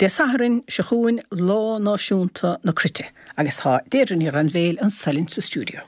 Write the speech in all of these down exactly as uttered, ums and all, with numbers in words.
Dé Sathairn seo chugainn Lá Náisiúnta na Cruite agus tá Deirdre Ní Ghrainbhéil anso linn sa stiúideo.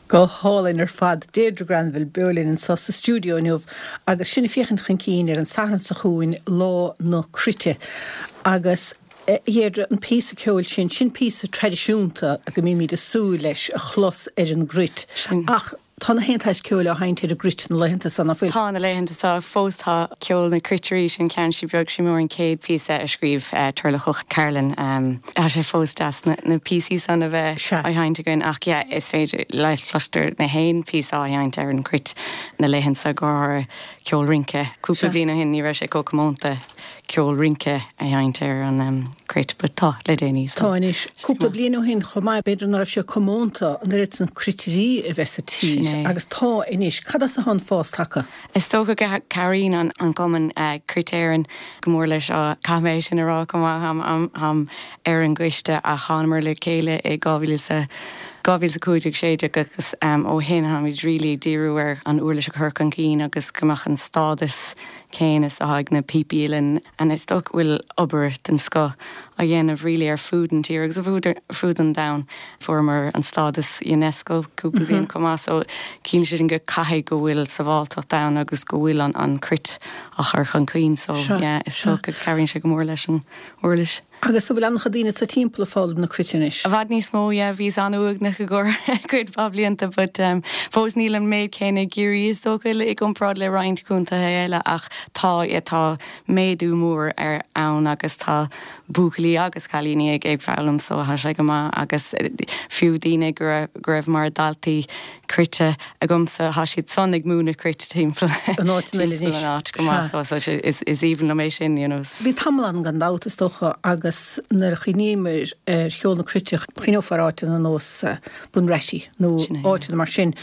Go hálainn ar fad Deirdre Granville beo linn anseo sa stiúideo inniu agus sinn ag féachaint chun cinn ar an Satharn seo chugainn Lá na Cruite agus eh, Deirdre an píosa ceoil sin sin píosa traidisiúnta go mbímid ag súil leis a chlos ar an gcruit. Ach tá na haon ceoil á sheinnt ar an gcruit na laethanta seo nach bhfuil. Tá na laethanta seo fós tá ceol na cruitirí sin ceann sí beag sí mór an céad píosa a scríobh uh, Turlough Ó Cairealláin um, Tá sé fós deas na, na píosaí san a bheith Sea. á sheinnt againn ach yeah, is féidir le cloistear na haon píosa á sheinnt ar an cruit na laethanta seo go ceol rince. Cúpla Sea. bliain ó shin ní raibh sé chomh comónta ceol rince a sheinnt ar an um, cruit, but tá le déanaí. Tá anois cúpla bliain ó shin chomh maith b'fhéidir nach raibh sé comónta an oiread san cruitirí a bheith sa tír Sin é. agus tá anois cad as atá an fás tagtha. Is dócha go cabhraíonn an an cumann uh, Cruit Éireann go mór leis á caithfidh mé sin a rá go maith am, am, am ar an gcoiste a thángamar le chéile i dhá mhíle sa dhá mhíle cúig sé agus um, ó shin táimid really díriú ar an uirlis a chur chun cinn agus go mbeadh an stádas céanna is atá ag na píopaí uilleann an is dócha bhfuil obair den scoth á dhéanamh really ar fud an tír agus a fud an domhain fuaireamar an stádas UNESCO cúpla bliain chomh maith so ciallaíonn sé sin go caithfidh go bhfuil sábháilteacht ann agus go bhfuil an an cruit á chur chun cinn so Seo, yeah, is seo. dócha cabhraíonn sé go mór leis an uirlis. Agus an bhfuil an-chuid daoine sa timpeall ag foghlaim na cruite anois. I bhfad níos mó yeah, bhí an-uaigneach i gcomhair cuid mhaith blianta, but um, fós níl an méid céanna i gCiarraí is dócha i gcomparáid le roinnt contaetha eile ach tá yeah, tá méadú mór ar ann agus tá buachaillí agus cailíní ag ag foghlaim so tá sé go maith agus eh, fiú daoine go raibh- go raibh mar daltaí cruite agamsa tá siad san ag múineadh cruit timpeall An áit eile timpeall anois. an áit go maith Sea. so, so is, is aoibhinn liom é sin you know. Bhí tamall ann gan dabht is dócha agus nuair a chuimhníomar ar cheol na cruite chuimhneofar áiteanna ar nós Bunratty nó Sin é, áiteanna mar sin.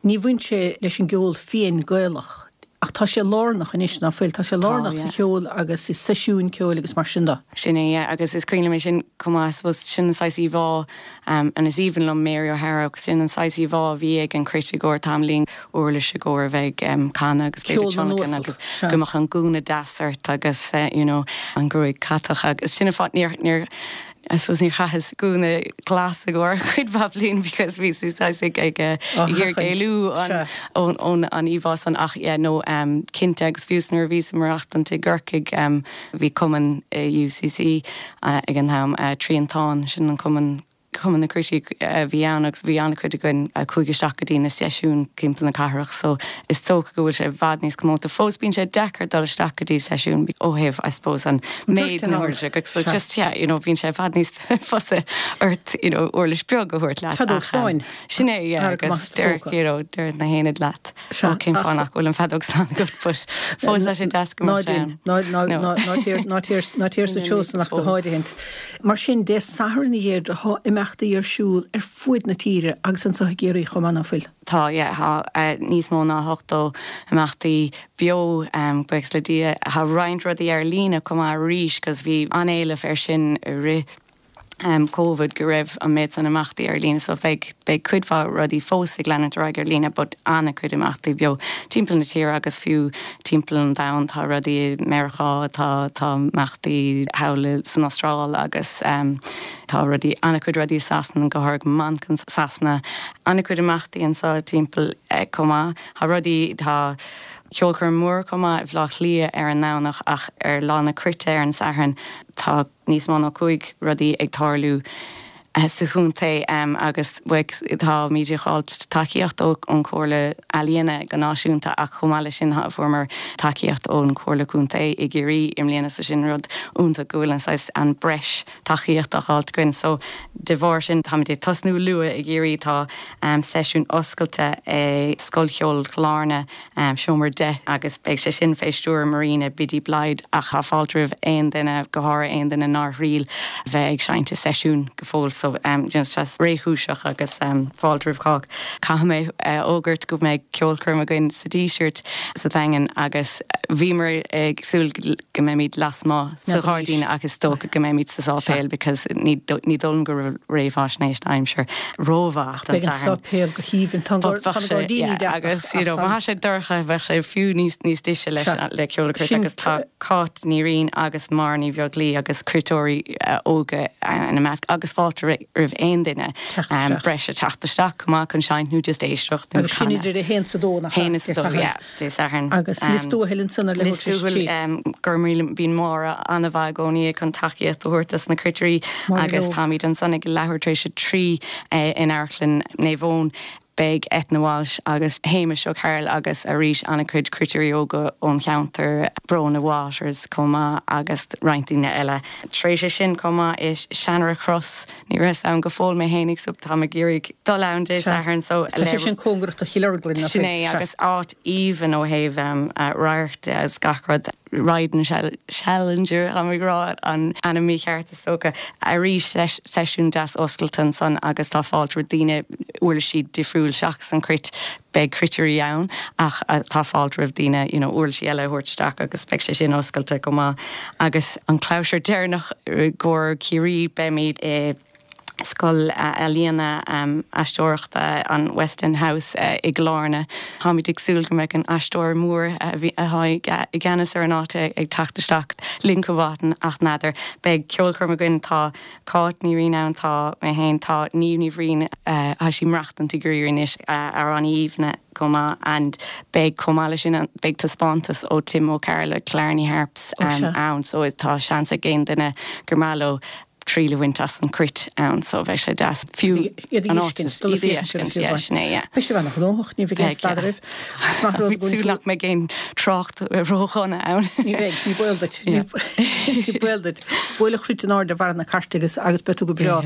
Ní bhain sé leis an gceol fiáin Gaelach. Ach tá sé lárnach anois nach bhfuil, tá sé lárnach yeah. sa cheol agus i seisiúin ceoil agus mar sin de. Sin é yeah, agus is cuimhin liom é sin chomh maith suppose sin an saghas íomhá um, an is aoibhinn liom Mary O'Hara agus sin an saghas íomhá a bhí ag an cruit i gcomhair tamallín uirlis i gcomhair a bheith um, canadh agus Ceol b'fhéidir na tionlacan n-uasal, agus sea. go mbeadh an gúna deas ort agus uh, you know, an gruaig catach agus sin an fáth níor níor I suppose níor chaitheas gúna glas i gcomhair cuid mhaith bliain because bhí sí ag ag Á ag sheachaint, éalú an sea. ón ón an íomhá san ach yeah, no um, cinnte agus fiú nuair a bhí ag maireachtáil i gCorcaigh um, bhí cumann uh, UCC uh, ag an am uh, Triantán sin an cumann cumann na cruití uh, bhí ann agus bhí an-chuid againn a chuaigh isteach go dtí na seisiún timpeall na cathrach so is dócha go bhfuil sé i bhfad níos comónta fós bíonn sé deacair dul isteach go dtí seisiún ó thaobh I suppose an méid an na huirlise agus so Sea. just yeah, you know, bíonn sé i bhfad níos fusa ort you know, uirlis beag a thabhairt leat Feadóg ach, um, stáin. Sin é yeah, Ar go maith agus sa deir phóca. you know, deir na haonaid leat Sea, ó cén ach- fáth nach bhfuil an feadóg stáin agat but fós tá sé deas go Ná mbeadh sé din, ann. ná ná No. ná ná tír ná tír ná tír sa seosan ach go háirithe. Mar sin Dé Sathairn a Dheirdre tá imeachtaí ar siúl ar fud na tíre agus anseo i gCiarraí chomh maith nach bhfuil. Tá yeah, tá uh, níos mó ná ochtó imeachtaí beo um, buíochas le Dia tá roinnt rudaí ar líne chomh maith arís, cos bhí an-éileamh ar sin i rith um, Covid go raibh an méid san imeachtaí ar líne so bheidh beidh cuid mhaith rudaí fós ag leanúint ar aghaidh ar líne but an-chuid imeachtaí beo timpeall na tíre agus fiú timpeall an domhain tá rudaí i Meiriceá tá tá imeachtaí thall san Astráil agus um, tá rudaí an-chuid rudaí Sasana go háirithe Manchain Sasana an-chuid imeachtaí anseo timpeall eh, chomh maith Tá rudaí tá ceolchoirm mór chomh maith i Bhaile Átha Cliath ar an nDomhnach ach ar lá na cruite ar an Satharn tá níos mó ná cúig rudaí ag tarlú eh, sa chontae um, agus táimid ag fáil tacaíocht ón Chomhairle Ealaíon go náisiúnta ach chomh maith leis sin fuaireamar tacaíocht ón Chomhairle Contae i gCiarraí i mbliana sa sin rud iontach go bhfuil an an breis tacaíocht á fháil againn so de bharr sin táimid ag tosnú luath i gCiarraí tá um, seisiún oscailte é Scoil Cheoil Blarna um, seomra deich agus beidh sé sin fé stiúir Marina Biddy Blyde ach tá fáilte roimh aon duine go háirithe aon duine nár thriail bheith ag seinnt i seisiún go fóill so um, just réchúiseach agus um, fáilte roimh chách. Caithfidh mé uh, fógairt go mbeidh ceolchoirm againn sa Díseart sa Daingean agus bhíomar ag súil go mbeimid lasmuigh sa ghairdín agus dócha go mbeimid sa sáipéal because ní ní dóigh go réamhaisnéis aimsir rómhaith Beidh an sáipéal go haoibhinn gairdíní agus you know, má sé dorcha bheadh sé fiú níos níos deise leis le ceol agus tá Cáit Ní Riain agus Máire Ní Bheaglaoich agus cruiteoirí uh, óga uh, ina measc agus fáilte roimh aon duine um, breise teacht isteach chomh maith chun seinnt nó just éisteacht Agus sin idir a haon is a dó Haon is dó, Dé Sathairn. Agus liostúhill sanna le gur bíonn Máire an-mhaith i gcónaí chun tacaíocht a thabhairt dos na cruitirí agus táimid ansan ag leathuair tar éis a trí in Amharclann Naomh Eoin beidh Etna Walsh agus Hamish O'Carroll agus arís an-chuid cruitirí óga ón cheantar Brona Waters chomh maith agus roinnt daoine eile. Tar éis sin chomh maith is Seanra Cross ní raibh ann go fóill mé fhéinig so tá ag iarraidh dul ann Dé Sathairn so sin cóngarach do Chill Orglan Sin é agus áit aoibhinn ó thaobh um, uh, radhairc as gach rud Riden Challenger am rá an ainm mícheart is dócha arís seisiún deas oscailte ansan agus tá fáilte roimh daoine uirlisí difriúil seachas an cruit beidh cruitirí ann ach uh, tá fáilte roimh daoine you know, uirlisí eile a thabhairt isteach agus beidh sé sin oscailte go maith agus an clabhsúr deireanach go Ciarraí beimid i Scoil Ealaíona um, aisteoireachta an Weston House uh, i gClarna. Táimid ag súil go mbeidh an aisteoir mór atá i gceannas ar an áit ag teacht isteach linn chomh ach n'fheadar beidh ceolchoirm againn tá Cáit Ní Riain ann tá mé féin tá Niamh Ní Bhriain uh, sí maireachtáil i gCiarraí anois uh, ar an Aoibhne chomh maith and beidh chomh maith sin beidh taispeántas ó Tim O'Carroll Killarney Harps um, ann so tá seans ag aon duine gur maith leo triail a bhaint as an cruit ann so bheidh sé deas fiú B'é an gnóthach ní bheidh staidrimh nach mbeidh aon trácht ródhona ann. Ní bheidh ní baol duit ní baol duit. Buail an chruit in airde bharr na cairte agus agus beidh tú go breá.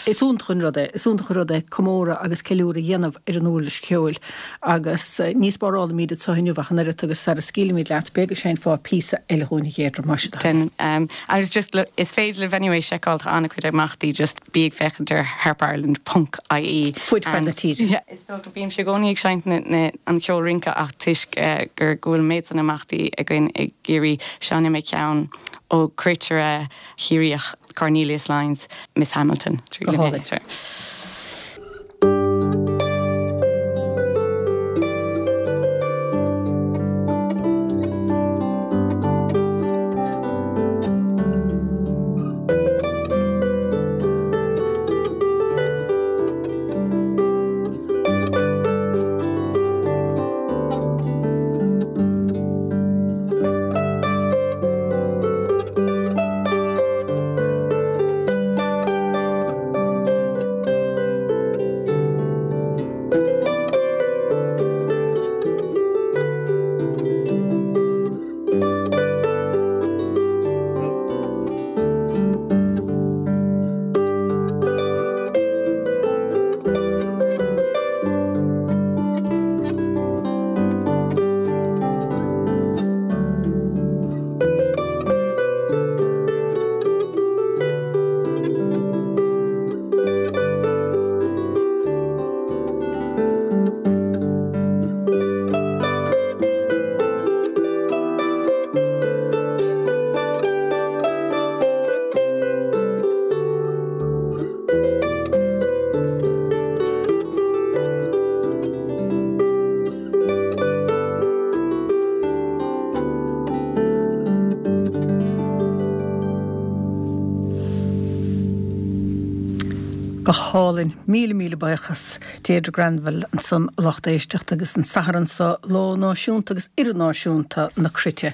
Is iontach an rud é, is iontach an rud é comóradh agus ceiliúradh a dhéanamh ar an uirlis cheoil agus ní spárálaimid anseo inniu ach an oiread agus sara scaoilimid leat b'fhéidir go seinnfeá píosa eile dhúinn a Dheirdre mar sin. Um, agus just look, is féidir libh anyway seiceáil tá an-chuid imeachtaí just bí ag féachaint ar harpireland.ie. Fud fad na tíre. Yeah, is dócha bímse i gcónaí ag seinnt an ceol rince ach toisc uh, gur go bhfuil méid san imeachtaí againn i gCiarraí seinnfidh mé ceann ó cruitire Chiarraíoch Cornelius Lyons, Miss Hamilton. Go hálainn. Go hálainn míle míle buíochas Deirdre Granville ansan lucht éisteachta agus an Satharn seo lá náisiúnta agus idirnáisiúnta na cruite.